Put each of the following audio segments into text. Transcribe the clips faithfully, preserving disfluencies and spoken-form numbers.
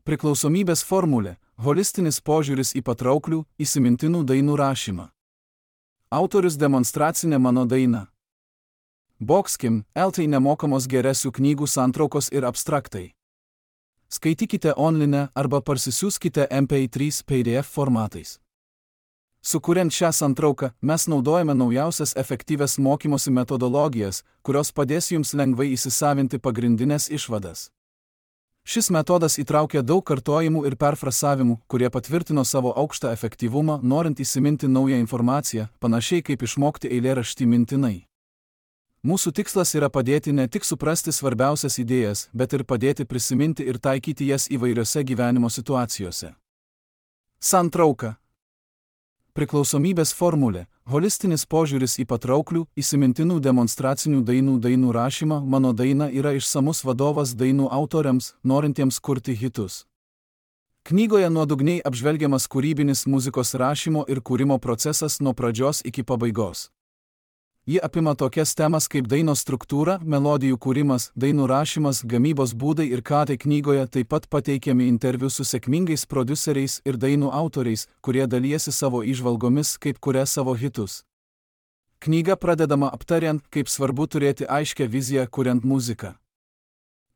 Priklausomybės formulė – holistinis požiūris į patrauklių, įsimintinų dainų rašymą. Autorius demonstracinė mano daina. Boxkim, eltai nemokamos geresių knygų santraukos ir abstraktai. Skaitykite online arba parsisiųskite M P trys P D F formatais. Sukuriant šią santrauką, mes naudojame naujausias efektyvias mokymosi metodologijas, kurios padės jums lengvai įsisavinti pagrindinės išvadas. Šis metodas įtraukia daug kartojimų ir perfrasavimų, kurie patvirtino savo aukštą efektyvumą, norint įsiminti naują informaciją, panašiai kaip išmokti eilėraštį mintinai. Mūsų tikslas yra padėti ne tik suprasti svarbiausias idėjas, bet ir padėti prisiminti ir taikyti jas įvairiose gyvenimo situacijose. Santrauka. Priklausomybės formulė – holistinis požiūris į patrauklių, įsimintinų demonstracinių dainų dainų rašymą. Mano daina yra išsamus vadovas dainų autoriams, norintiems kurti hitus. Knygoje nuodugniai apžvelgiamas kūrybinis muzikos rašymo ir kūrimo procesas nuo pradžios iki pabaigos. Ji apima tokias temas kaip dainos struktūra, melodijų kūrimas, dainų rašymas, gamybos būdai ir ką tai knygoje taip pat pateikiami interviu su sėkmingais prodiuseriais ir dainų autoriais, kurie dalijasi savo įžvalgomis, kaip kuria savo hitus. Knyga pradedama aptariant, kaip svarbu turėti aiškią viziją kuriant muziką.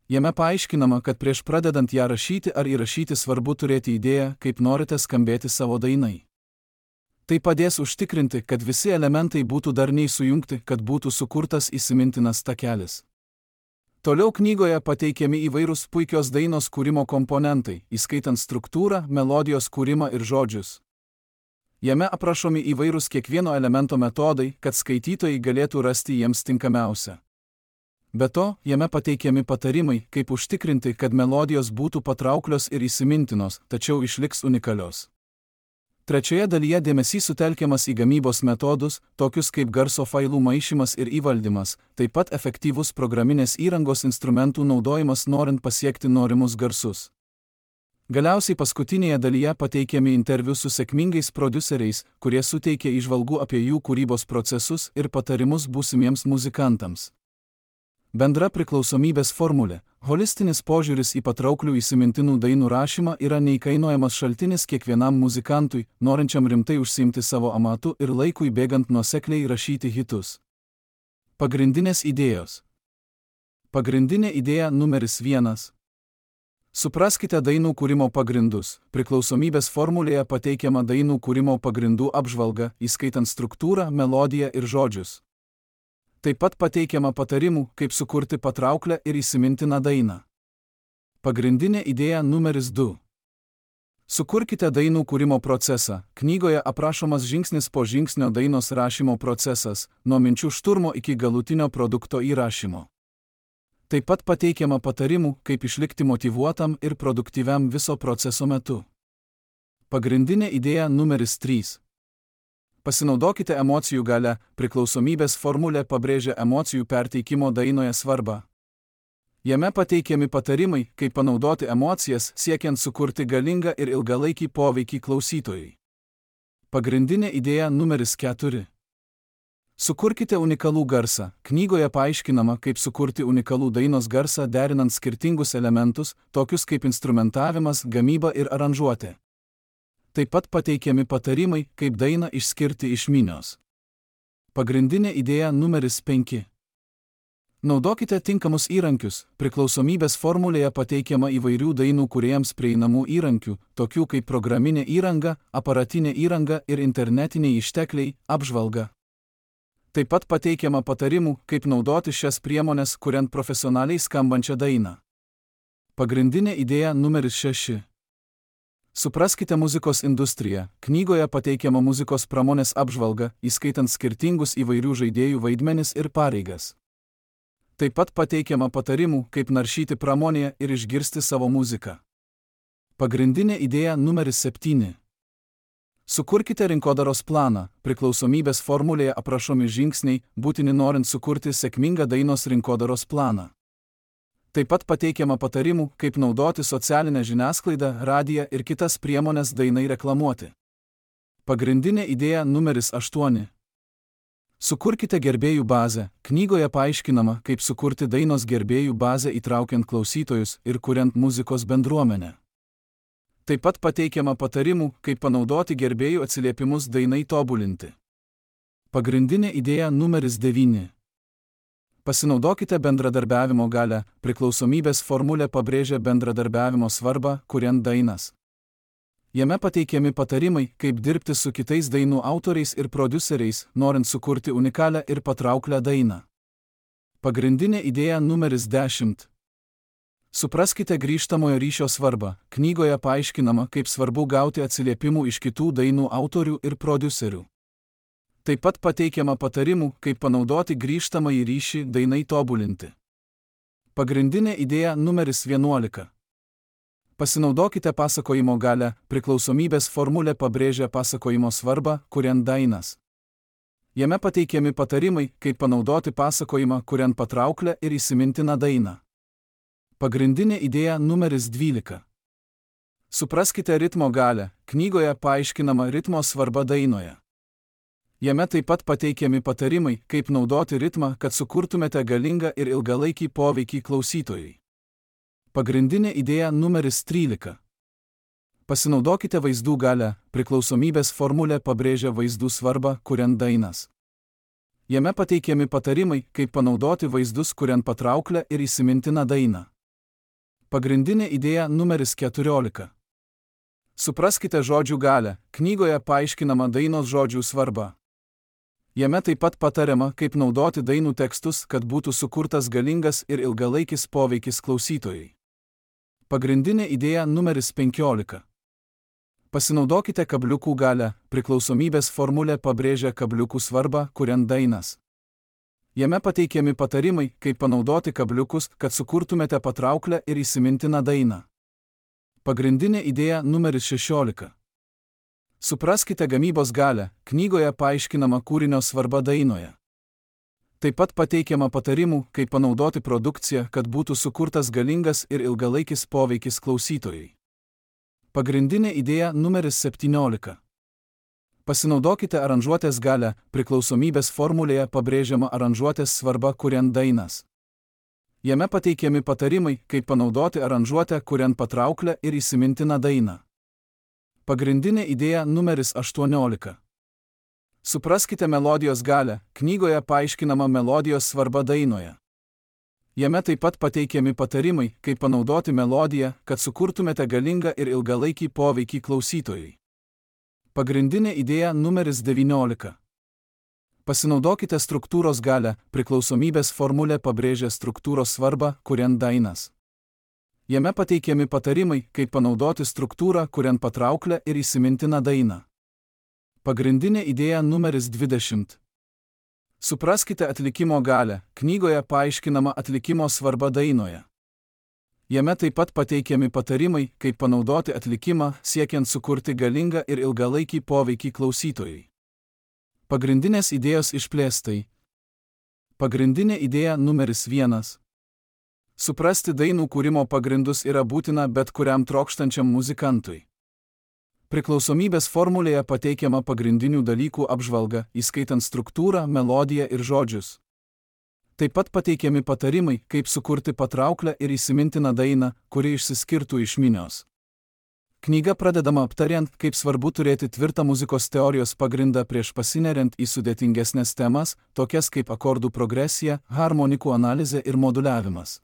Jame paaiškinama, kad prieš pradedant ją rašyti ar įrašyti svarbu turėti idėją, kaip norite skambėti savo dainai. Tai padės užtikrinti, kad visi elementai būtų darniai sujungti, kad būtų sukurtas įsimintinas takelis. Toliau knygoje pateikiami įvairūs puikios dainos kūrimo komponentai, įskaitant struktūrą, melodijos kūrimą ir žodžius. Jame aprašomi įvairūs kiekvieno elemento metodai, kad skaitytojai galėtų rasti jiems tinkamiausią. Be to, jame pateikiami patarimai, kaip užtikrinti, kad melodijos būtų patrauklios ir įsimintinos, tačiau išliks unikalios. Trečioje dalyje dėmesys sutelkiamas į gamybos metodus, tokius kaip garso failų maišymas ir įvaldymas, taip pat efektyvus programinės įrangos instrumentų naudojimas norint pasiekti norimus garsus. Galiausiai paskutinėje dalyje pateikiami interviu su sėkmingais prodiuseriais, kurie suteikia įžvalgų apie jų kūrybos procesus ir patarimus būsimiems muzikantams. Bendra priklausomybės formulė – holistinis požiūris į patrauklių įsimintinų dainų rašymą yra neįkainojamas šaltinis kiekvienam muzikantui, norinčiam rimtai užsiimti savo amatu ir laikui bėgant nuosekliai rašyti hitus. Pagrindinės idėjos. Pagrindinė idėja numeris vienas. Supraskite dainų kūrimo pagrindus. Priklausomybės formulėje pateikiama dainų kūrimo pagrindų apžvalga, įskaitant struktūrą, melodiją ir žodžius. Taip pat pateikiama patarimų, kaip sukurti patrauklę ir įsimintiną dainą. Pagrindinė idėja numeris du. Sukurkite dainų kūrimo procesą. Knygoje aprašomas žingsnis po žingsnio dainos rašymo procesas, nuo minčių šturmo iki galutinio produkto įrašymo. Taip pat pateikiama patarimų, kaip išlikti motyvuotam ir produktyviam viso proceso metu. Pagrindinė idėja numeris trys. Pasinaudokite emocijų galia. Priklausomybės formulė pabrėžia emocijų perteikimo dainoje svarbą. Jame pateikiami patarimai, kaip panaudoti emocijas, siekiant sukurti galingą ir ilgalaikį poveikį klausytojui. Pagrindinė idėja numeris keturi. Sukurkite unikalų garsą. Knygoje paaiškinama, kaip sukurti unikalų dainos garsą derinant skirtingus elementus, tokius kaip instrumentavimas, gamyba ir aranžuotė. Taip pat pateikiami patarimai, kaip dainą išskirti iš minios. Pagrindinė idėja numeris penki. Naudokite tinkamus įrankius. Priklausomybės formulėje pateikiama įvairių dainų kūrėjams prieinamų įrankių, tokių kaip programinė įranga, aparatinė įranga ir internetiniai ištekliai, apžvalga. Taip pat pateikiama patarimų, kaip naudoti šias priemones, kuriant profesionaliai skambančią dainą. Pagrindinė idėja numeris šeši. Supraskite muzikos industriją. Knygoje pateikiama muzikos pramonės apžvalga, įskaitant skirtingus įvairių žaidėjų vaidmenis ir pareigas. Taip pat pateikiama patarimų, kaip naršyti pramonėje ir išgirsti savo muziką. Pagrindinė idėja numeris septyni. Sukurkite rinkodaros planą. Priklausomybės formulėje aprašomi žingsniai, būtini norint sukurti sėkmingą dainos rinkodaros planą. Taip pat pateikiama patarimų, kaip naudoti socialinę žiniasklaidą, radiją ir kitas priemones dainai reklamuoti. Pagrindinė idėja numeris aštuoni. Sukurkite gerbėjų bazę. Knygoje paaiškinama, kaip sukurti dainos gerbėjų bazę įtraukiant klausytojus ir kuriant muzikos bendruomenę. Taip pat pateikiama patarimų, kaip panaudoti gerbėjų atsiliepimus dainai tobulinti. Pagrindinė idėja numeris devyni. Pasinaudokite bendradarbiavimo galią, priklausomybės formulė pabrėžia bendradarbiavimo svarbą, kuriant dainas. Jame pateikiami patarimai, kaip dirbti su kitais dainų autoriais ir prodiuseriais, norint sukurti unikalią ir patrauklią dainą. Pagrindinė idėja numeris dešimt. Supraskite grįžtamojo ryšio svarbą. Knygoje paaiškinama, kaip svarbu gauti atsiliepimų iš kitų dainų autorių ir prodiuserių. Taip pat pateikiama patarimų, kaip panaudoti grįžtamąjį ryšį dainai tobulinti. Pagrindinė idėja numeris vienuolika. Pasinaudokite pasakojimo galią, priklausomybės formulė pabrėžia pasakojimo svarbą, kuriant dainas. Jame pateikiami patarimai, kaip panaudoti pasakojimą, kuriant patrauklę ir įsimintiną dainą. Pagrindinė idėja numeris dvylika. Supraskite ritmo galią. Knygoje paaiškinama ritmo svarba dainoje. Jame taip pat pateikiami patarimai, kaip naudoti ritmą, kad sukurtumėte galingą ir ilgalaikį poveikį klausytojui. Pagrindinė idėja numeris trylika. Pasinaudokite vaizdų galią. Priklausomybės formulė pabrėžia vaizdų svarbą, kuriant dainas. Jame pateikiami patarimai, kaip panaudoti vaizdus, kuriant patrauklę ir įsimintiną dainą. Pagrindinė idėja numeris keturiolika. Supraskite žodžių galią. Knygoje paaiškinama dainos žodžių svarba. Jame taip pat patariama, kaip naudoti dainų tekstus, kad būtų sukurtas galingas ir ilgalaikis poveikis klausytojai. Pagrindinė idėja numeris penkiolika. Pasinaudokite kabliukų galią. Priklausomybės formulė pabrėžia kabliukų svarbą, kuriant dainas. Jame pateikiami patarimai, kaip panaudoti kabliukus, kad sukurtumėte patrauklę ir įsimintiną dainą. Pagrindinė idėja numeris šešiolika. Supraskite gamybos galią. Knygoje paaiškinama kūrinio svarba dainoje. Taip pat pateikiama patarimų, kaip panaudoti produkciją, kad būtų sukurtas galingas ir ilgalaikis poveikis klausytojai. Pagrindinė idėja numeris septyniolika. Pasinaudokite aranžuotės galią. Priklausomybės formulėje pabrėžiama aranžuotės svarba, kuriant dainas. Jame pateikiami patarimai, kaip panaudoti aranžuotę, kuriant patrauklę ir įsimintiną dainą. Pagrindinė idėja numeris aštuoniolika. Supraskite melodijos galią. Knygoje paaiškinama melodijos svarba dainoje. Jame taip pat pateikiami patarimai, kaip panaudoti melodiją, kad sukurtumėte galingą ir ilgalaikį poveikį klausytojui. Pagrindinė idėja numeris devyniolika. Pasinaudokite struktūros galią. Priklausomybės formulė pabrėžia struktūros svarbą, kuriant dainas. Jame pateikiami patarimai, kaip panaudoti struktūrą, kuriant patrauklę ir įsimintiną dainą. Pagrindinė idėja numeris dvidešimt. Supraskite atlikimo galią. Knygoje paaiškinama atlikimo svarba dainoje. Jame taip pat pateikiami patarimai, kaip panaudoti atlikimą, siekiant sukurti galingą ir ilgalaikį poveikį klausytojai. Pagrindinės idėjos išplėstai. Pagrindinė idėja numeris vienas. Suprasti dainų kūrimo pagrindus yra būtina bet kuriam trokštančiam muzikantui. Priklausomybės formulėje pateikiama pagrindinių dalykų apžvalga, įskaitant struktūrą, melodiją ir žodžius. Taip pat pateikiami patarimai, kaip sukurti patrauklę ir įsimintiną dainą, kuri išsiskirtų iš minios. Knyga pradedama aptariant, kaip svarbu turėti tvirtą muzikos teorijos pagrindą prieš pasineriant į sudėtingesnės temas, tokias kaip akordų progresija, harmonikų analizė ir moduliavimas.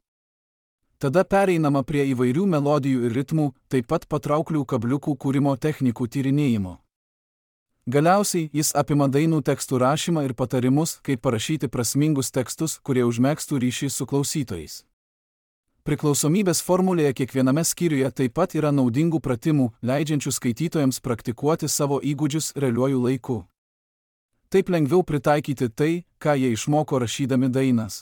Tada pereinama prie įvairių melodijų ir ritmų, taip pat patrauklių kabliukų kūrimo technikų tyrinėjimo. Galiausiai jis apima dainų tekstų rašymą ir patarimus, kaip parašyti prasmingus tekstus, kurie užmegztų ryšį su klausytojais. Priklausomybės formulėje kiekviename skyriuje taip pat yra naudingų pratimų, leidžiančių skaitytojams praktikuoti savo įgūdžius realiuoju laiku. Taip lengviau pritaikyti tai, ką jie išmoko rašydami dainas.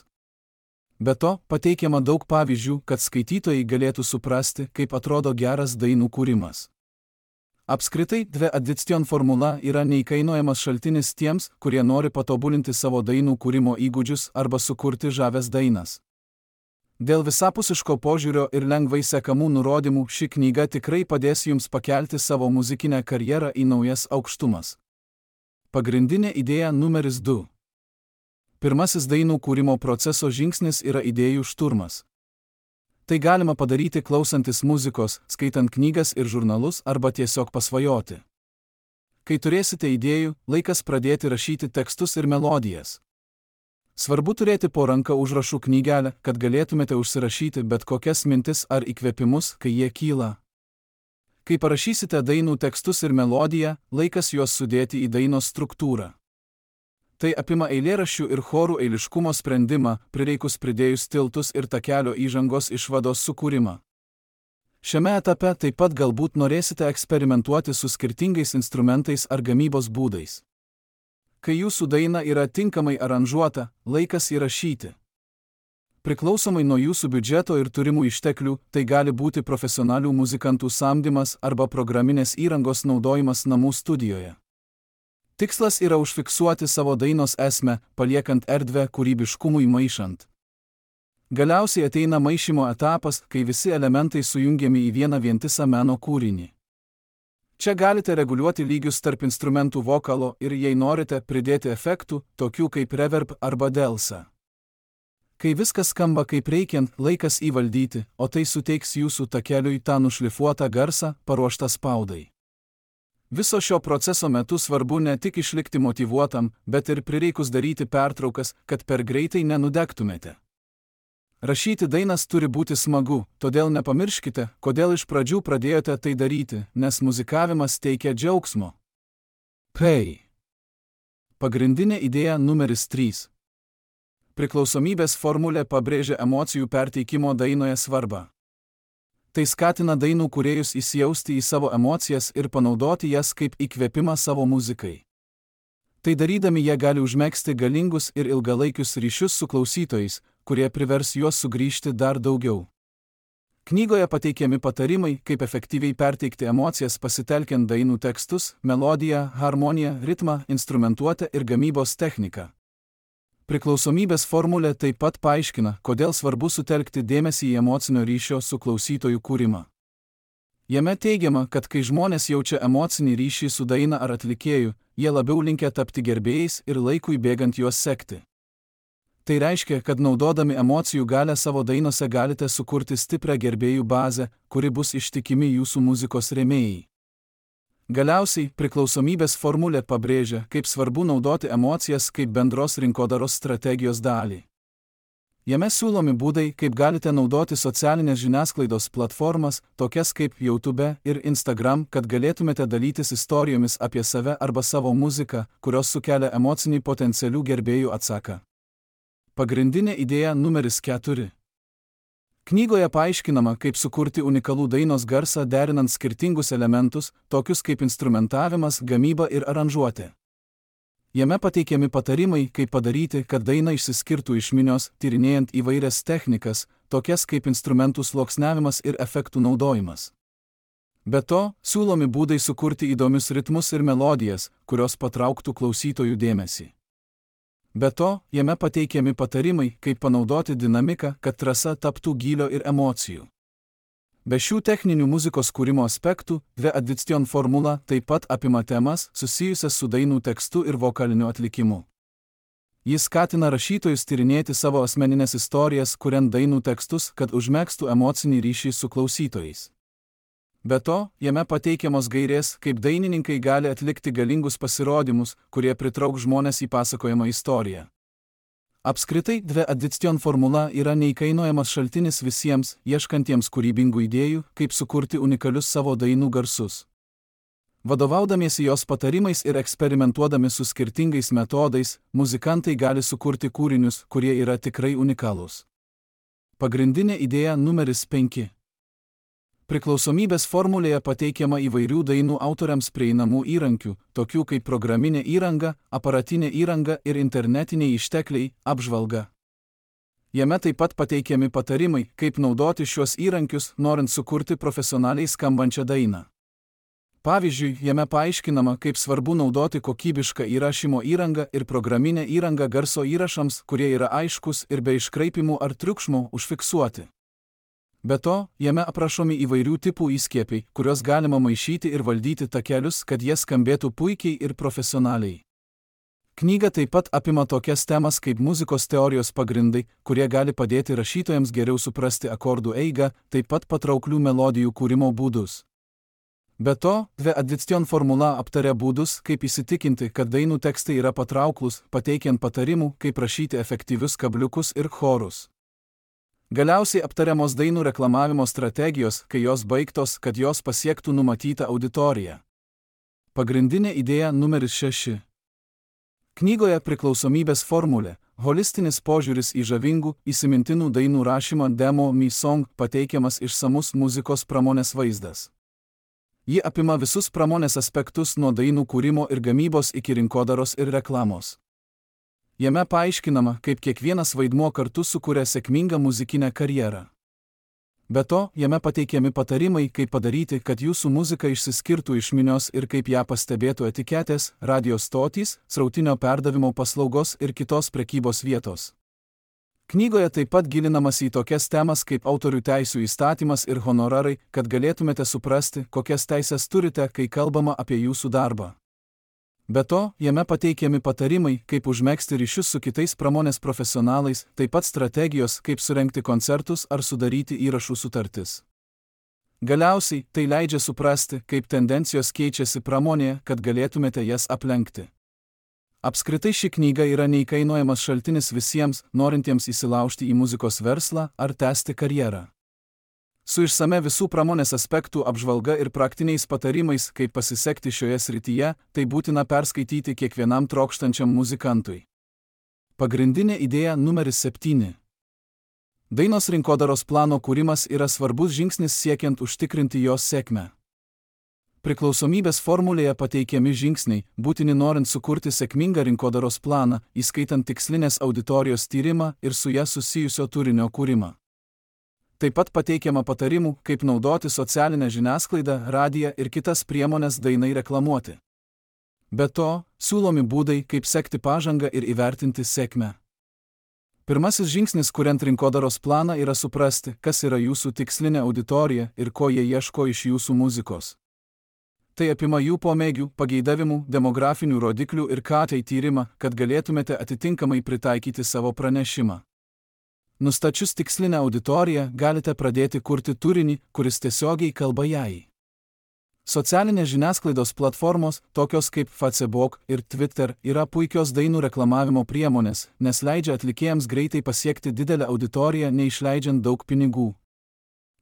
Be to, pateikiama daug pavyzdžių, kad skaitytojai galėtų suprasti, kaip atrodo geras dainų kūrimas. Apskritai, dve addiction formula yra neįkainojamas šaltinis tiems, kurie nori patobulinti savo dainų kūrimo įgūdžius arba sukurti žavias dainas. Dėl visapusiško požiūrio ir lengvai sekamų nurodymų ši knyga tikrai padės jums pakelti savo muzikinę karjerą į naujas aukštumas. Pagrindinė idėja numeris du. Pirmasis dainų kūrimo proceso žingsnis yra idėjų šturmas. Tai galima padaryti klausantis muzikos, skaitant knygas ir žurnalus arba tiesiog pasvajoti. Kai turėsite idėjų, laikas pradėti rašyti tekstus ir melodijas. Svarbu turėti po ranka užrašų knygelę, kad galėtumėte užsirašyti bet kokias mintis ar įkvėpimus, kai jie kyla. Kai parašysite dainų tekstus ir melodiją, laikas juos sudėti į dainos struktūrą. Tai apima eilėraščių ir chorų eiliškumo sprendimą, prireikus pridėjus tiltus ir takelio įžangos išvados sukūrimą. Šiame etape taip pat galbūt norėsite eksperimentuoti su skirtingais instrumentais ar gamybos būdais. Kai jūsų daina yra tinkamai aranžuota, laikas įrašyti. Priklausomai nuo jūsų biudžeto ir turimų išteklių, tai gali būti profesionalių muzikantų samdymas arba programinės įrangos naudojimas namų studijoje. Tikslas yra užfiksuoti savo dainos esmę, paliekant erdvę kūrybiškumui maišant. Galiausiai ateina maišymo etapas, kai visi elementai sujungiami į vieną vientisą meno kūrinį. Čia galite reguliuoti lygius tarp instrumentų vokalo ir, jei norite, pridėti efektų, tokių kaip reverb arba delsa. Kai viskas skamba kaip reikiant, laikas įvaldyti, o tai suteiks jūsų takeliui tą nušlifuotą garsą, paruoštą spaudai. Viso šio proceso metu svarbu ne tik išlikti motyvuotam, bet ir prireikus daryti pertraukas, kad per greitai nenudegtumėte. Rašyti dainas turi būti smagu, todėl nepamirškite, kodėl iš pradžių pradėjote tai daryti, nes muzikavimas teikia džiaugsmo. P. Pagrindinė idėja numeris trys. Priklausomybės formulė pabrėžia emocijų perteikimo dainoje svarbą. Tai skatina dainų kūrėjus įsijausti į savo emocijas ir panaudoti jas kaip įkvėpimą savo muzikai. Tai darydami jie gali užmegzti galingus ir ilgalaikius ryšius su klausytojais, kurie privers juos sugrįžti dar daugiau. Knygoje pateikiami patarimai, kaip efektyviai perteikti emocijas pasitelkiant dainų tekstus, melodiją, harmoniją, ritmą, instrumentuotę ir gamybos techniką. Priklausomybės formulė taip pat paaiškina, kodėl svarbu sutelkti dėmesį į emocinio ryšio su klausytojų kūrimą. Jame teigiama, kad kai žmonės jaučia emocinį ryšį su daina ar atlikėju, jie labiau linkę tapti gerbėjais ir laikui bėgant juos sekti. Tai reiškia, kad naudodami emocijų galią savo dainose galite sukurti stiprią gerbėjų bazę, kuri bus ištikimi jūsų muzikos rėmėjai. Galiausiai, priklausomybės formulė pabrėžia, kaip svarbu naudoti emocijas kaip bendros rinkodaros strategijos dalį. Jame siūlomi būdai, kaip galite naudoti socialinės žiniasklaidos platformas, tokias kaip YouTube ir Instagram, kad galėtumėte dalytis istorijomis apie save arba savo muziką, kurios sukelia emocinį potencialių gerbėjų atsaką. Pagrindinė idėja numeris keturi. Knygoje paaiškinama, kaip sukurti unikalų dainos garsą derinant skirtingus elementus, tokius kaip instrumentavimas, gamyba ir aranžuotė. Jame pateikiami patarimai, kaip padaryti, kad daina išsiskirtų iš minios, tyrinėjant įvairias technikas, tokias kaip instrumentų sluoksniavimas ir efektų naudojimas. Be to, siūlomi būdai sukurti įdomius ritmus ir melodijas, kurios patrauktų klausytojų dėmesį. Be to, jame pateikiami patarimai, kaip panaudoti dinamiką, kad trasa taptų gylio ir emocijų. Be šių techninių muzikos kūrimo aspektų, The Addiction formula taip pat apima temas susijusias su dainų tekstu ir vokaliniu atlikimu. Jis skatina rašytojus tyrinėti savo asmeninės istorijas, kuriant dainų tekstus, kad užmegztų emocinį ryšį su klausytojais. Be to, jame pateikiamos gairės, kaip dainininkai gali atlikti galingus pasirodymus, kurie pritrauks žmones į pasakojamą istoriją. Apskritai, The Addiction formula yra neįkainojamas šaltinis visiems, ieškantiems kūrybingų idėjų, kaip sukurti unikalius savo dainų garsus. Vadovaudamiesi jos patarimais ir eksperimentuodami su skirtingais metodais, muzikantai gali sukurti kūrinius, kurie yra tikrai unikalūs. Pagrindinė idėja numeris penki. Priklausomybės formulėje pateikiama įvairių dainų autoriams prieinamų įrankių, tokių kaip programinė įranga, aparatinė įranga ir internetiniai ištekliai, apžvalga. Jame taip pat pateikiami patarimai, kaip naudoti šiuos įrankius, norint sukurti profesionaliai skambančią dainą. Pavyzdžiui, jame paaiškinama, kaip svarbu naudoti kokybišką įrašymo įrangą ir programinę įrangą garso įrašams, kurie yra aiškus ir be iškraipimų ar triukšmo užfiksuoti. Be to, jame aprašomi įvairių tipų įskiepiai, kuriuos galima maišyti ir valdyti takelius, kad jie skambėtų puikiai ir profesionaliai. Knyga taip pat apima tokias temas kaip muzikos teorijos pagrindai, kurie gali padėti rašytojams geriau suprasti akordų eigą, taip pat patrauklių melodijų kūrimo būdus. Be to, The Addiction formula aptaria būdus, kaip įsitikinti, kad dainų tekstai yra patrauklus, pateikiant patarimų, kaip rašyti efektyvius kabliukus ir chorus. Galiausiai aptariamos dainų reklamavimo strategijos, kai jos baigtos, kad jos pasiektų numatytą auditoriją. Pagrindinė idėja numeris šeši. Knygoje Priklausomybės formulė, holistinis požiūris į žavingų, įsimintinų dainų rašymą Demo Me Song pateikiamas išsamus muzikos pramonės vaizdas. Ji apima visus pramonės aspektus nuo dainų kūrimo ir gamybos iki rinkodaros ir reklamos. Jame paaiškinama, kaip kiekvienas vaidmuo kartu sukuria sėkmingą muzikinę karjerą. Be to, jame pateikiami patarimai, kaip padaryti, kad jūsų muzika išsiskirtų iš minios ir kaip ją pastebėtų etiketės, radio stotys, srautinio perdavimo paslaugos ir kitos prekybos vietos. Knygoje taip pat gilinamas į tokias temas kaip autorių teisių įstatymas ir honorarai, kad galėtumėte suprasti, kokias teises turite, kai kalbama apie jūsų darbą. Be to, jame pateikiami patarimai, kaip užmegzti ryšius su kitais pramonės profesionalais, taip pat strategijos, kaip surengti koncertus ar sudaryti įrašų sutartis. Galiausiai, tai leidžia suprasti, kaip tendencijos keičiasi pramonėje, kad galėtumėte jas aplenkti. Apskritai ši knyga yra neįkainojamas šaltinis visiems, norintiems įsilaužti į muzikos verslą ar tęsti karjerą. Su išsame visų pramonės aspektų apžvalga ir praktiniais patarimais, kaip pasisekti šioje srityje, tai būtina perskaityti kiekvienam trokštančiam muzikantui. Pagrindinė idėja numeris septyni. Dainos rinkodaros plano kūrimas yra svarbus žingsnis siekiant užtikrinti jos sėkmę. Priklausomybės formulėje pateikiami žingsniai, būtini norint sukurti sėkmingą rinkodaros planą, įskaitant tikslinės auditorijos tyrimą ir su ja susijusio turinio kūrimą. Taip pat pateikiama patarimų, kaip naudoti socialinę žiniasklaidą, radiją ir kitas priemonės dainai reklamuoti. Be to, siūlomi būdai, kaip sekti pažangą ir įvertinti sėkmę. Pirmasis žingsnis, kuriant rinkodaros planą, yra suprasti, kas yra jūsų tikslinė auditorija ir ko jie ieško iš jūsų muzikos. Tai apima jų pomėgių, pageidavimų, demografinių rodiklių ir K T tyrimą, kad galėtumėte atitinkamai pritaikyti savo pranešimą. Nustačius tikslinę auditoriją, galite pradėti kurti turinį, kuris tiesiogiai kalba jai. Socialinės žiniasklaidos platformos, tokios kaip Facebook ir Twitter, yra puikios dainų reklamavimo priemonės, nes leidžia atlikėjams greitai pasiekti didelę auditoriją, neišleidžiant daug pinigų.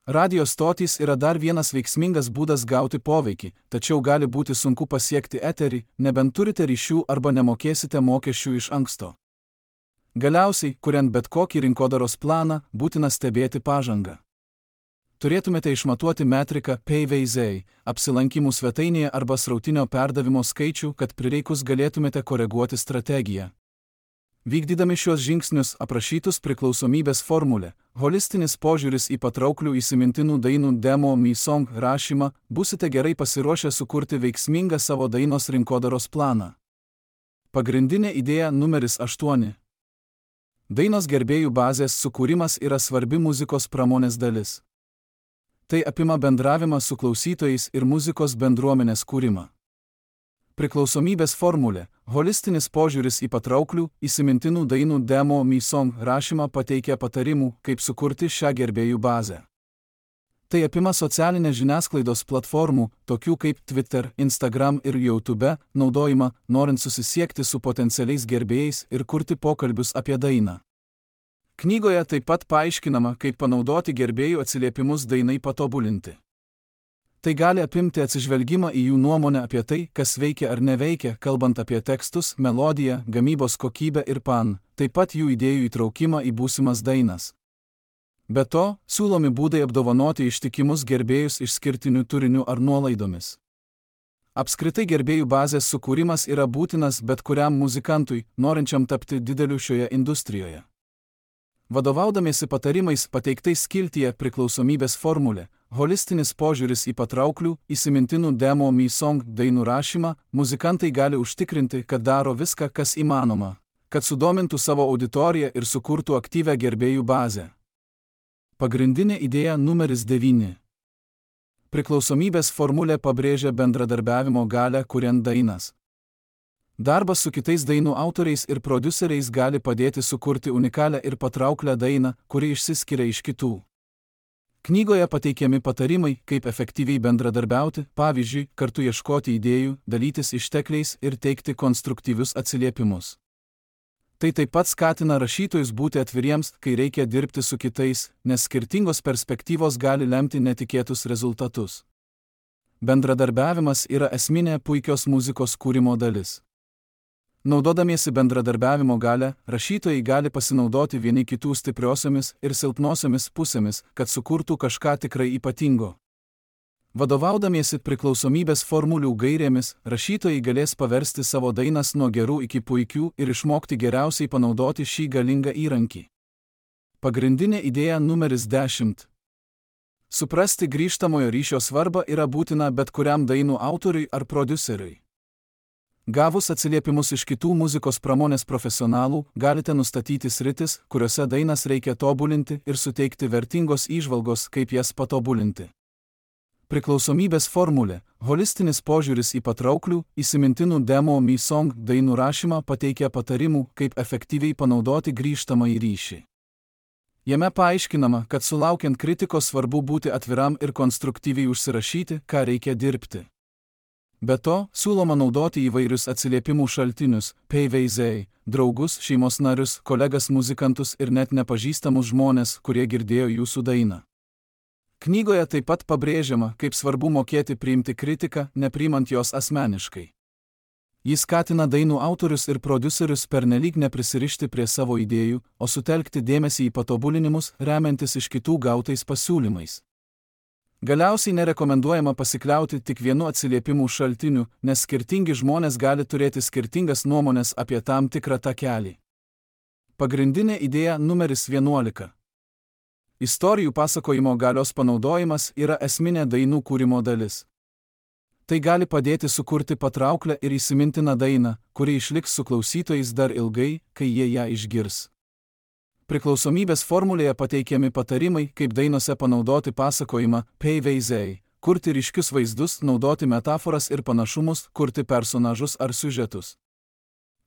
Radio stotys yra dar vienas veiksmingas būdas gauti poveikį, tačiau gali būti sunku pasiekti eterį, nebent turite ryšių arba nemokėsite mokesčių iš anksto. Galiausiai, kuriant bet kokį rinkodaros planą, būtina stebėti pažangą. Turėtumėte išmatuoti metriką P V Z, apsilankymų svetainėje arba srautinio perdavimo skaičių, kad prireikus galėtumėte koreguoti strategiją. Vykdydami šios žingsnius aprašytus priklausomybės formulę, holistinis požiūris į patrauklių įsimintinų dainų Demo Me Song rašymą, būsite gerai pasiruošę sukurti veiksmingą savo dainos rinkodaros planą. Pagrindinė idėja numeris aštuoni. Dainos gerbėjų bazės sukūrimas yra svarbi muzikos pramonės dalis. Tai apima bendravimą su klausytojais ir muzikos bendruomenės kūrimą. Priklausomybės formulė, holistinis požiūris į patrauklių, įsimintinų dainų Demo Me Song rašymą pateikia patarimų, kaip sukurti šią gerbėjų bazę. Tai apima socialinės žiniasklaidos platformų, tokių kaip Twitter, Instagram ir YouTube, naudojimą, norint susisiekti su potencialiais gerbėjais ir kurti pokalbius apie dainą. Knygoje taip pat paaiškinama, kaip panaudoti gerbėjų atsiliepimus dainai patobulinti. Tai gali apimti atsižvelgimą į jų nuomonę apie tai, kas veikia ar neveikia, kalbant apie tekstus, melodiją, gamybos kokybę ir pan, taip pat jų idėjų įtraukimą į būsimas dainas. Be to, siūlomi būdai apdovanoti ištikimus gerbėjus išskirtiniu turiniu ar nuolaidomis. Apskritai gerbėjų bazės sukūrimas yra būtinas bet kuriam muzikantui, norinčiam tapti dideliu šioje industrijoje. Vadovaudamiesi patarimais pateiktais skiltyje priklausomybės formulė, holistinis požiūris į patrauklių, įsimintinų Demo Me Song dainų rašymą, muzikantai gali užtikrinti, kad daro viską, kas įmanoma, kad sudomintų savo auditoriją ir sukurtų aktyvią gerbėjų bazę. Pagrindinė idėja numeris devyni. Priklausomybės formulė pabrėžia bendradarbiavimo galią kuriant dainas. Darbas su kitais dainų autoriais ir prodiuseriais gali padėti sukurti unikalią ir patrauklią dainą, kuri išsiskiria iš kitų. Knygoje pateikiami patarimai, kaip efektyviai bendradarbiauti, pavyzdžiui, kartu ieškoti idėjų, dalytis ištekliais ir teikti konstruktyvius atsiliepimus. Tai taip pat skatina rašytojus būti atviriems, kai reikia dirbti su kitais, nes skirtingos perspektyvos gali lemti netikėtus rezultatus. Bendradarbiavimas yra esminė puikios muzikos kūrimo dalis. Naudodamiesi bendradarbiavimo galią, rašytojai gali pasinaudoti vieni kitų stipriosiomis ir silpnosiomis pusėmis, kad sukurtų kažką tikrai ypatingo. Vadovaudamiesi priklausomybės formulių gairėmis, rašytojai galės paversti savo dainas nuo gerų iki puikių ir išmokti geriausiai panaudoti šį galingą įrankį. Pagrindinė idėja numeris dešimt. Suprasti grįžtamojo ryšio svarbą yra būtina bet kuriam dainų autoriui ar prodiuseriui. Gavus atsiliepimus iš kitų muzikos pramonės profesionalų, galite nustatyti sritis, kuriuose dainas reikia tobulinti ir suteikti vertingos įžvalgos, kaip jas patobulinti. Priklausomybės formulė – holistinis požiūris į patrauklių, įsimintinų demo me song dainų rašymą pateikia patarimų, kaip efektyviai panaudoti grįžtamąjį ryšį. Jame paaiškinama, kad sulaukiant kritikos svarbu būti atviram ir konstruktyviai užsirašyti, ką reikia dirbti. Be to, siūloma naudoti įvairius atsiliepimų šaltinius, pavyzdžiai, draugus, šeimos narius, kolegas muzikantus ir net nepažįstamus žmones, kurie girdėjo jūsų dainą. Knygoje taip pat pabrėžiama, kaip svarbu mokėti priimti kritiką, nepriimant jos asmeniškai. Jis skatina dainų autorius ir prodiuserius pernelyg neprisirišti prie savo idėjų, o sutelkti dėmesį į patobulinimus, remiantis iš kitų gautais pasiūlymais. Galiausiai nerekomenduojama pasikliauti tik vienu atsiliepimų šaltiniu, nes skirtingi žmonės gali turėti skirtingas nuomonės apie tam tikrą takelį. Pagrindinė idėja numeris vienuolika. Istorijų pasakojimo galios panaudojimas yra esminė dainų kūrimo dalis. Tai gali padėti sukurti patrauklę ir įsimintiną dainą, kuri išliks su klausytojais dar ilgai, kai jie ją išgirs. Priklausomybės formulėje pateikiami patarimai, kaip dainose panaudoti pasakojimą, pavyzdžiai, kurti ryškius vaizdus, naudoti metaforas ir panašumus, kurti personažus ar siužetus.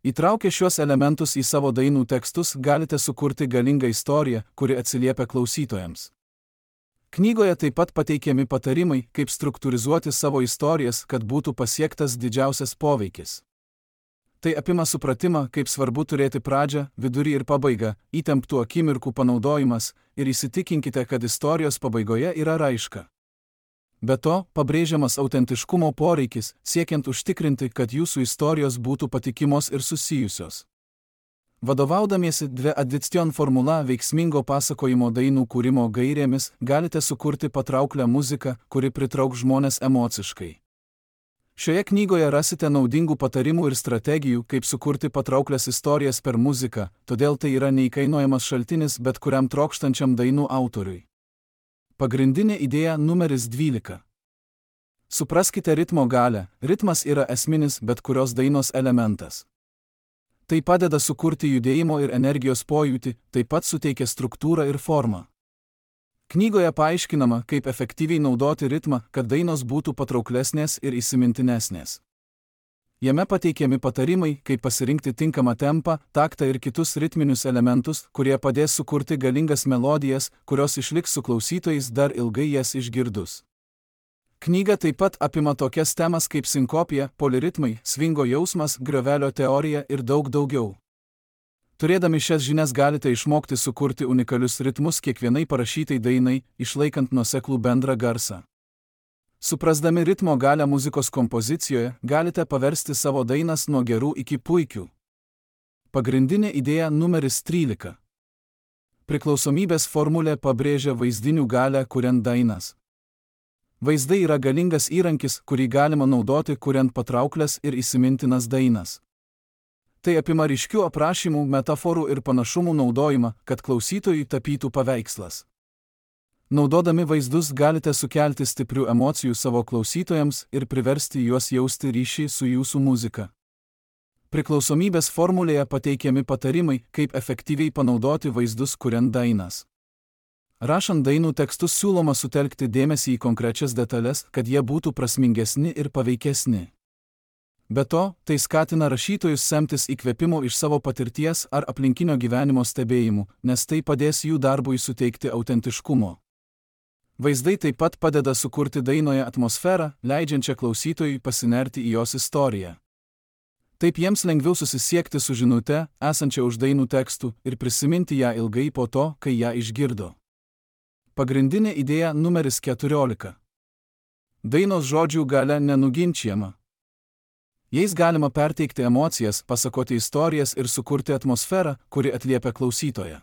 Įtraukę šiuos elementus į savo dainų tekstus, galite sukurti galingą istoriją, kuri atsiliepia klausytojams. Knygoje taip pat pateikiami patarimai, kaip struktūrizuoti savo istorijas, kad būtų pasiektas didžiausias poveikis. Tai apima supratimą, kaip svarbu turėti pradžią, vidurį ir pabaigą, įtemptų akimirkų panaudojimas ir įsitikinkite, kad istorijos pabaigoje yra raiška. Be to, pabrėžiamas autentiškumo poreikis, siekiant užtikrinti, kad jūsų istorijos būtų patikimos ir susijusios. Vadovaudamiesi dvi addiction formula veiksmingo pasakojimo dainų kūrimo gairėmis, galite sukurti patrauklią muziką, kuri pritrauks žmones emociškai. Šioje knygoje rasite naudingų patarimų ir strategijų, kaip sukurti patrauklias istorijas per muziką, todėl tai yra neįkainojamas šaltinis bet kuriam trokštančiam dainų autoriui. Pagrindinė idėja numeris dvylika. Supraskite ritmo galią, ritmas yra esminis bet kurios dainos elementas. Tai padeda sukurti judėjimo ir energijos pojūtį, taip pat suteikia struktūrą ir formą. Knygoje paaiškinama, kaip efektyviai naudoti ritmą, kad dainos būtų patrauklesnės ir įsimintinesnės. Jame pateikiami patarimai, kaip pasirinkti tinkamą tempą, taktą ir kitus ritminius elementus, kurie padės sukurti galingas melodijas, kurios išliks su klausytojais dar ilgai jas išgirdus. Knyga taip pat apima tokias temas kaip sinkopija, poliritmai, svingo jausmas, griovelio teorija ir daug daugiau. Turėdami šias žinias galite išmokti sukurti unikalius ritmus kiekvienai parašytai dainai, išlaikant nuoseklų bendrą garsą. Suprasdami ritmo galią muzikos kompozicijoje, galite paversti savo dainas nuo gerų iki puikių. Pagrindinė idėja numeris trylika. Priklausomybės formulė pabrėžia vaizdinių galią kuriant dainas. Vaizdai yra galingas įrankis, kurį galima naudoti kuriant patrauklias ir įsimintinas dainas. Tai apima ryškių aprašymų, metaforų ir panašumų naudojimą, kad klausytojui tapytų paveikslas. Naudodami vaizdus galite sukelti stiprių emocijų savo klausytojams ir priversti juos jausti ryšį su jūsų muzika. Priklausomybės formulėje pateikiami patarimai, kaip efektyviai panaudoti vaizdus kuriant dainas. Rašant dainų tekstus siūloma sutelkti dėmesį į konkrečias detalės, kad jie būtų prasmingesni ir paveikesni. Be to, tai skatina rašytojus semtis įkvėpimo iš savo patirties ar aplinkinio gyvenimo stebėjimų, nes tai padės jų darbui suteikti autentiškumo. Vaizdai taip pat padeda sukurti dainoje atmosferą, leidžiančią klausytojui pasinerti į jos istoriją. Taip jiems lengviau susisiekti su žinute, esančia už dainų tekstų, ir prisiminti ją ilgai po to, kai ją išgirdo. Pagrindinė idėja numeris keturiolika. Dainos žodžių galia nenuginčiama. Jais galima perteikti emocijas, pasakoti istorijas ir sukurti atmosferą, kuri atliepia klausytoją.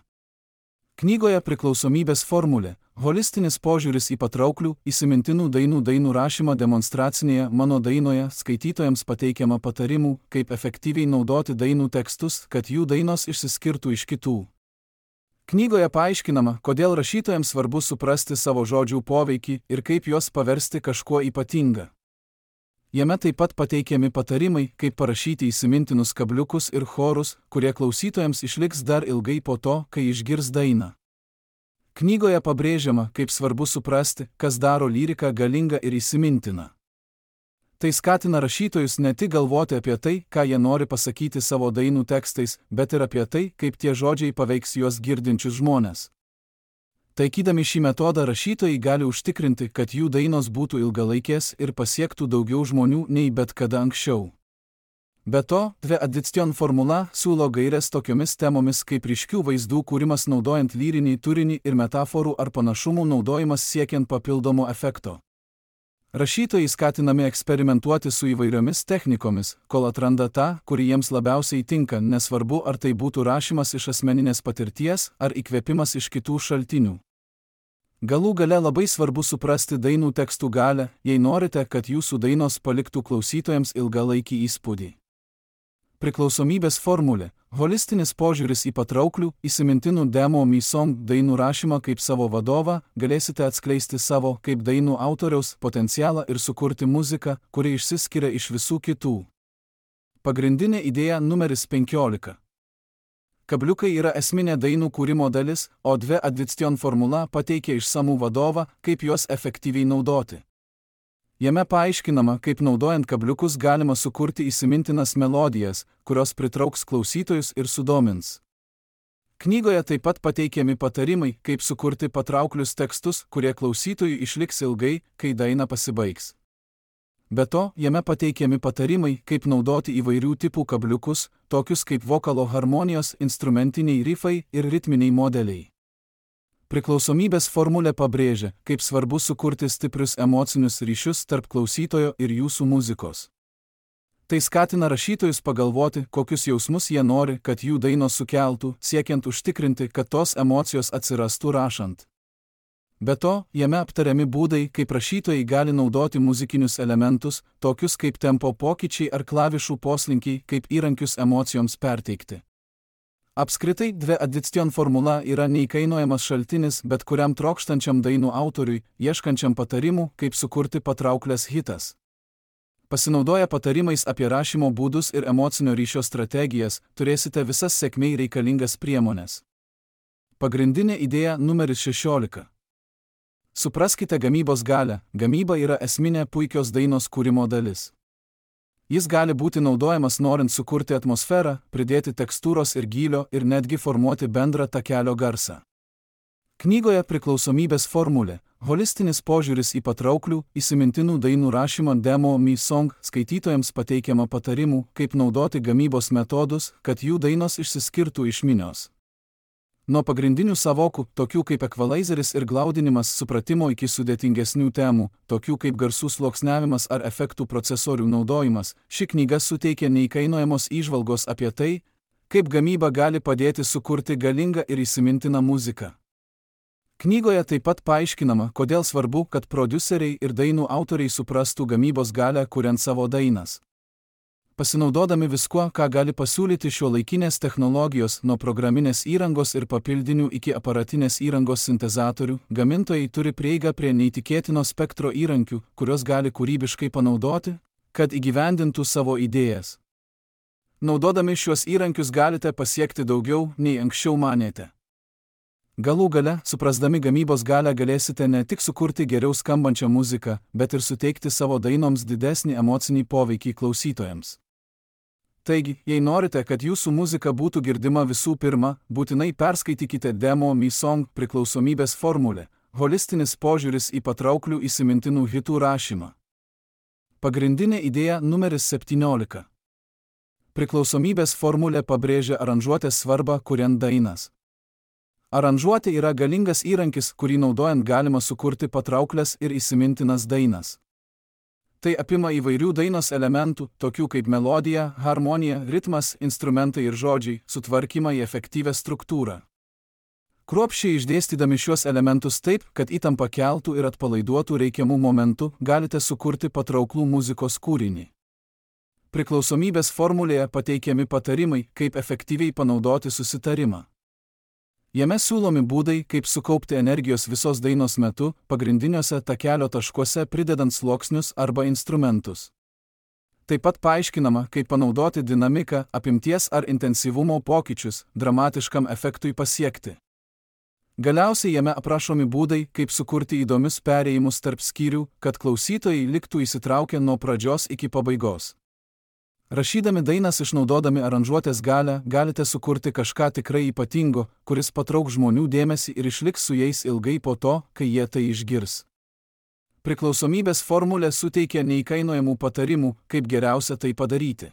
Knygoje Priklausomybės formulė – holistinis požiūris į patrauklių, įsimintinų dainų dainų rašymą demonstracinėje mano dainoje skaitytojams pateikiama patarimų, kaip efektyviai naudoti dainų tekstus, kad jų dainos išsiskirtų iš kitų. Knygoje paaiškinama, kodėl rašytojams svarbu suprasti savo žodžių poveikį ir kaip juos paversti kažkuo ypatinga. Jame taip pat pateikiami patarimai, kaip parašyti įsimintinus kabliukus ir chorus, kurie klausytojams išliks dar ilgai po to, kai išgirs dainą. Knygoje pabrėžiama, kaip svarbu suprasti, kas daro lyriką galingą ir įsimintiną. Tai skatina rašytojus ne tik galvoti apie tai, ką jie nori pasakyti savo dainų tekstais, bet ir apie tai, kaip tie žodžiai paveiks juos girdinčius žmones. Taikydami šį metodą rašytojai gali užtikrinti, kad jų dainos būtų ilgalaikės ir pasiektų daugiau žmonių nei bet kada anksčiau. Be to, Dve Addiction formula siūlo gaires tokiomis temomis kaip ryškių vaizdų kūrimas naudojant lyrinį turinį ir metaforų ar panašumų naudojimas siekiant papildomo efekto. Rašytojai skatinami eksperimentuoti su įvairiomis technikomis, kol atranda tą, kuri jiems labiausiai tinka, nesvarbu ar tai būtų rašymas iš asmeninės patirties ar įkvėpimas iš kitų šaltinių. Galų gale labai svarbu suprasti dainų tekstų galią, jei norite, kad jūsų dainos paliktų klausytojams ilgalaikį įspūdį. Priklausomybės formulė – holistinis požiūris į patrauklių, įsimintinų demo me song dainų rašymą kaip savo vadovą, galėsite atskleisti savo kaip dainų autoriaus potencialą ir sukurti muziką, kuri išsiskiria iš visų kitų. Pagrindinė idėja numeris penkiolika. Kabliukai yra esminė dainų kūrimo dalis, o Dve Addiction formula pateikia išsamų vadovą, kaip juos efektyviai naudoti. Jame paaiškinama, kaip naudojant kabliukus galima sukurti įsimintinas melodijas, kurios pritrauks klausytojus ir sudomins. Knygoje taip pat pateikiami patarimai, kaip sukurti patrauklius tekstus, kurie klausytojui išliks ilgai, kai daina pasibaigs. Be to, jame pateikiami patarimai, kaip naudoti įvairių tipų kabliukus, tokius kaip vokalo harmonijos, instrumentiniai rifai ir ritminiai modeliai. Priklausomybės formulė pabrėžia, kaip svarbu sukurti stiprius emocinius ryšius tarp klausytojo ir jūsų muzikos. Tai skatina rašytojus pagalvoti, kokius jausmus jie nori, kad jų dainos sukeltų, siekiant užtikrinti, kad tos emocijos atsirastų rašant. Be to, jame aptariami būdai, kaip rašytojai gali naudoti muzikinius elementus, tokius kaip tempo pokyčiai ar klavišų poslinkiai, kaip įrankius emocijoms perteikti. Apskritai, Dve Addiction formula yra neįkainojamas šaltinis bet kuriam trokštančiam dainų autoriui, ieškančiam patarimų, kaip sukurti patrauklias hitas. Pasinaudoję patarimais apie rašymo būdus ir emocinio ryšio strategijas, turėsite visas sėkmei reikalingas priemones. Pagrindinė idėja numeris šešiolika. Supraskite gamybos galią, gamyba yra esminė puikios dainos kūrimo dalis. Jis gali būti naudojamas norint sukurti atmosferą, pridėti tekstūros ir gylio ir netgi formuoti bendrą takelio garsą. Knygoje Priklausomybės formulė – holistinis požiūris į patrauklių, įsimintinų dainų rašymą demo me song skaitytojams pateikiama patarimų, kaip naudoti gamybos metodus, kad jų dainos išsiskirtų iš minios. Nuo pagrindinių savokų, tokių kaip ekvalaizeris ir glaudinimas supratimo iki sudėtingesnių temų, tokių kaip garsų sluoksniavimas ar efektų procesorių naudojimas, ši knyga suteikia neįkainojamos įžvalgos apie tai, kaip gamyba gali padėti sukurti galingą ir įsimintiną muziką. Knygoje taip pat paaiškinama, kodėl svarbu, kad prodiuseriai ir dainų autoriai suprastų gamybos galią kuriant savo dainas. Pasinaudodami viskuo, ką gali pasiūlyti šiuolaikinės technologijos nuo programinės įrangos ir papildinių iki aparatinės įrangos sintezatorių, gamintojai turi prieigą prie neįtikėtino spektro įrankių, kurios gali kūrybiškai panaudoti, kad įgyvendintų savo idėjas. Naudodami šiuos įrankius galite pasiekti daugiau, nei anksčiau manėte. Galų gale, suprasdami gamybos galią galėsite ne tik sukurti geriau skambančią muziką, bet ir suteikti savo dainoms didesnį emocinį poveikį klausytojams. Taigi, jei norite, kad jūsų muzika būtų girdima visų pirma, būtinai perskaitykite Demo Me Song priklausomybės formulę – holistinis požiūris į patrauklių įsimintinų hitų rašymą. Pagrindinė idėja numeris septyniolika. Priklausomybės formulė pabrėžia aranžuotės svarbą, kuriant dainas. Aranžuotė yra galingas įrankis, kurį naudojant galima sukurti patrauklias ir įsimintinas dainas. Tai apima įvairių dainos elementų, tokių kaip melodija, harmonija, ritmas, instrumentai ir žodžiai, sutvarkymą į efektyvią struktūrą. Kruopščiai išdėstydami šiuos elementus taip, kad įtampa keltų ir atpalaiduotų reikiamų momentų, galite sukurti patrauklų muzikos kūrinį. Priklausomybės formulėje pateikiami patarimai, kaip efektyviai panaudoti susitarimą. Jame siūlomi būdai, kaip sukaupti energijos visos dainos metu, pagrindiniuose takelio taškuose pridedant sluoksnius arba instrumentus. Taip pat paaiškinama, kaip panaudoti dinamiką, apimties ar intensyvumo pokyčius dramatiškam efektui pasiekti. Galiausiai jame aprašomi būdai, kaip sukurti įdomius perėjimus tarp skyrių, kad klausytojai liktų įsitraukę nuo pradžios iki pabaigos. Rašydami dainas išnaudodami aranžuotės galią, galite sukurti kažką tikrai ypatingo, kuris patrauks žmonių dėmesį ir išliks su jais ilgai po to, kai jie tai išgirs. Priklausomybės formulė suteikia neįkainojamų patarimų, kaip geriausia tai padaryti.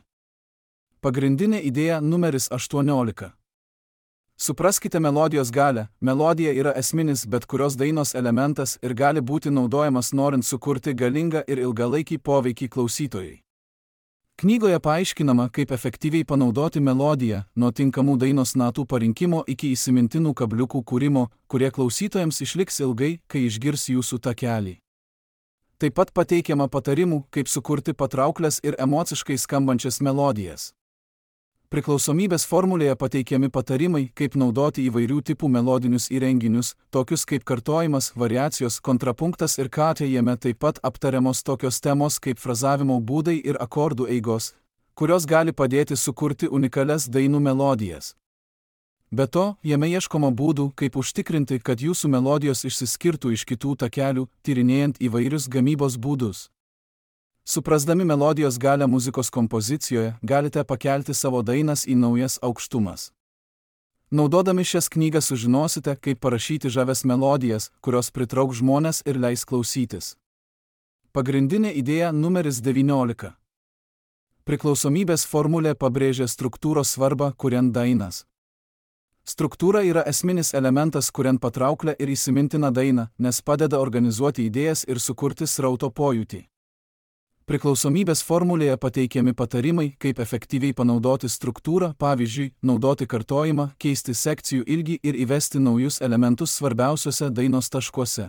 Pagrindinė idėja numeris aštuoniolika. Supraskite melodijos galią. Melodija yra esminis bet kurios dainos elementas ir gali būti naudojamas norint sukurti galingą ir ilgalaikį poveikį klausytojai. Knygoje paaiškinama, kaip efektyviai panaudoti melodiją, nuo tinkamų dainos natų parinkimo iki įsimintinų kabliukų kūrimo, kurie klausytojams išliks ilgai, kai išgirs jūsų takelį. Taip pat pateikiama patarimų, kaip sukurti patrauklias ir emociškai skambančias melodijas. Priklausomybės formulėje pateikiami patarimai, kaip naudoti įvairių tipų melodinius įrenginius, tokius kaip kartojimas, variacijos, kontrapunktas ir katė. Jame taip pat aptariamos tokios temos kaip frazavimo būdai ir akordų eigos, kurios gali padėti sukurti unikalias dainų melodijas. Be to, jame ieškoma būdų, kaip užtikrinti, kad jūsų melodijos išsiskirtų iš kitų takelių, tyrinėjant įvairius gamybos būdus. Suprasdami melodijos galią muzikos kompozicijoje, galite pakelti savo dainas į naujas aukštumas. Naudodami šias knygas sužinosite, kaip parašyti žavias melodijas, kurios pritrauks žmones ir leis klausytis. Pagrindinė idėja numeris devyniolika. Priklausomybės formulė pabrėžia struktūros svarbą, kuriant dainas. Struktūra yra esminis elementas, kuriant patrauklę ir įsimintiną dainą, nes padeda organizuoti idėjas ir sukurti srauto pojūtį. Priklausomybės formulėje pateikiami patarimai, kaip efektyviai panaudoti struktūrą, pavyzdžiui, naudoti kartojimą, keisti sekcijų ilgį ir įvesti naujus elementus svarbiausiuose dainos taškuose.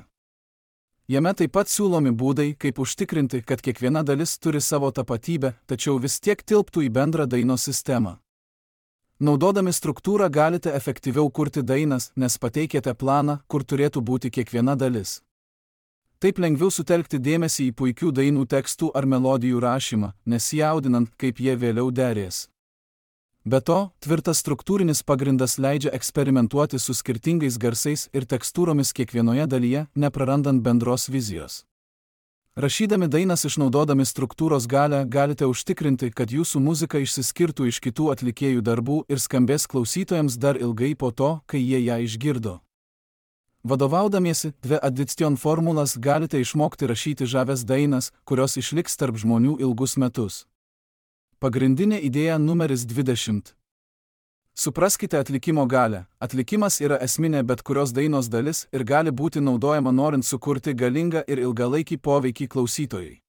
Jame taip pat siūlomi būdai, kaip užtikrinti, kad kiekviena dalis turi savo tapatybę, tačiau vis tiek tilptų į bendrą dainos sistemą. Naudodami struktūrą galite efektyviau kurti dainas, nes pateikėte planą, kur turėtų būti kiekviena dalis. Taip lengviau sutelkti dėmesį į puikių dainų tekstų ar melodijų rašymą, nesijaudinant, kaip jie vėliau derės. Be to, tvirtas struktūrinis pagrindas leidžia eksperimentuoti su skirtingais garsais ir tekstūromis kiekvienoje dalyje, neprarandant bendros vizijos. Rašydami dainas išnaudodami struktūros galią, galite užtikrinti, kad jūsų muzika išsiskirtų iš kitų atlikėjų darbų ir skambės klausytojams dar ilgai po to, kai jie ją išgirdo. Vadovaudamiesi dvi addition formulas galite išmokti rašyti žavias dainas, kurios išliks tarp žmonių ilgus metus. Pagrindinė idėja numeris dvidešimt. Supraskite atlikimo galią. Atlikimas yra esminė bet kurios dainos dalis ir gali būti naudojama norint sukurti galingą ir ilgalaikį poveikį klausytojui.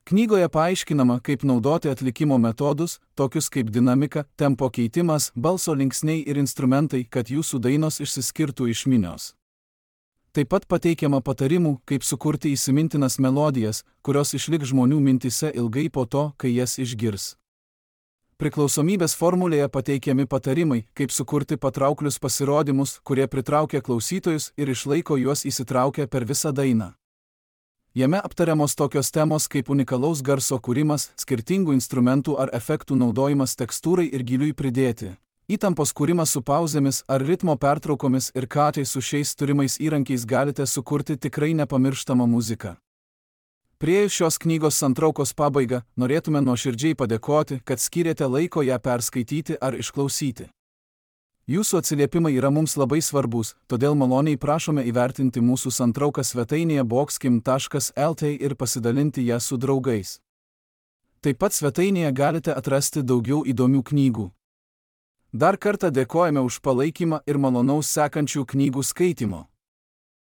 Knygoje paaiškinama, kaip naudoti atlikimo metodus, tokius kaip dinamika, tempo keitimas, balso linksniai ir instrumentai, kad jūsų dainos išsiskirtų iš minios. Taip pat pateikiama patarimų, kaip sukurti įsimintinas melodijas, kurios išliks žmonių mintyse ilgai po to, kai jas išgirs. Priklausomybės formulėje pateikiami patarimai, kaip sukurti patrauklius pasirodymus, kurie pritraukia klausytojus ir išlaiko juos įsitraukę per visą dainą. Jame aptariamos tokios temos kaip unikalaus garso kūrimas, skirtingų instrumentų ar efektų naudojimas tekstūrai ir giliui pridėti, Įtampos kūrimas su pauzėmis ar ritmo pertraukomis ir katai su šiais turimais įrankiais galite sukurti tikrai nepamirštamą muziką. Priėjus šios knygos santraukos pabaigą, norėtume nuoširdžiai padėkoti, kad skyrėte laiko ją perskaityti ar išklausyti. Jūsų atsiliepimai yra mums labai svarbus, todėl maloniai prašome įvertinti mūsų santrauką svetainėje boxkim taškas lt ir pasidalinti ją su draugais. Taip pat svetainėje galite atrasti daugiau įdomių knygų. Dar kartą dėkojame už palaikymą ir malonaus sekančių knygų skaitymo.